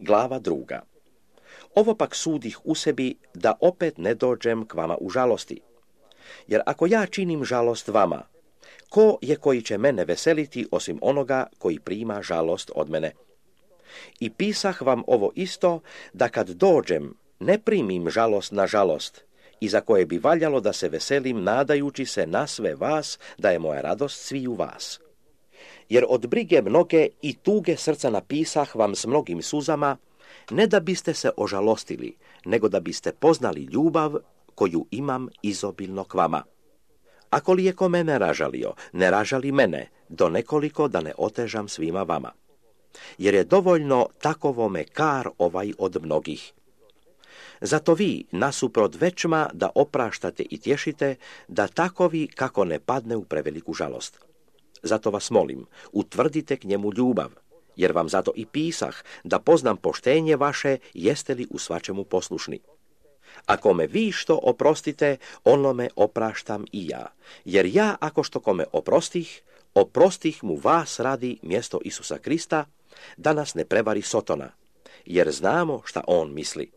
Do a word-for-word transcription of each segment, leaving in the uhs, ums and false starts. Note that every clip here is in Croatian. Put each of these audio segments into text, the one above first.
Glava druga. Ovo pak sudih u sebi da opet ne dođem k vama u žalosti. Jer ako ja činim žalost vama, ko je koji će mene veseliti osim onoga koji prima žalost od mene? I pisah vam ovo isto, da kad dođem ne primim žalost na žalost, i za koje bi valjalo da se veselim nadajući se na sve vas, da je moja radost sviju vas. Jer od brige mnoge i tuge srca napisah vam s mnogim suzama, ne da biste se ožalostili, nego da biste poznali ljubav koju imam izobilno k vama. Ako li je ko mene ražalio, ne ražali mene, do nekoliko da ne otežam svima vama. Jer je dovoljno takovome kar ovaj od mnogih. Zato vi, nasuprot većma, da opraštate i tješite, da takovi kako ne padne u preveliku žalost. Zato vas molim, utvrdite k njemu ljubav, jer vam zato i pisah, da poznam poštenje vaše, jeste li u svačemu poslušni. Ako me vi što oprostite, onome opraštam i ja, jer ja ako što kome oprostih, oprostih mu vas radi mjesto Isusa Krista, da nas ne prevari Sotona, jer znamo šta on misli.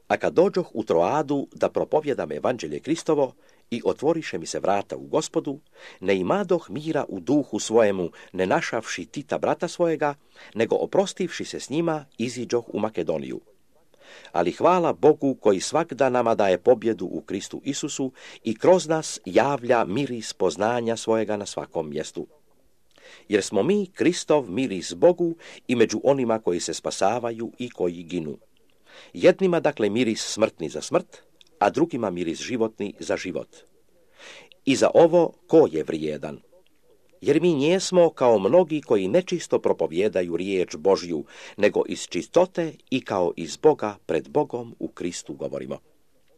A kad dođoh u Troadu da propovjedam evanđelje Kristovo i otvoriše mi se vrata u Gospodu, ne imadoh mira u duhu svojemu, ne našavši Tita brata svojega, nego oprostivši se s njima, iziđoh u Makedoniju. Ali hvala Bogu koji svakda nama daje pobjedu u Kristu Isusu i kroz nas javlja miris poznanja svojega na svakom mjestu. Jer smo mi Kristov miris Bogu i među onima koji se spasavaju i koji ginu. Jednima dakle miris smrtni za smrt, a drugima miris životni za život. I za ovo ko je vrijedan? Jer mi njesmo kao mnogi koji nečisto propovijedaju riječ Božju, nego iz čistote i kao iz Boga pred Bogom u Kristu govorimo.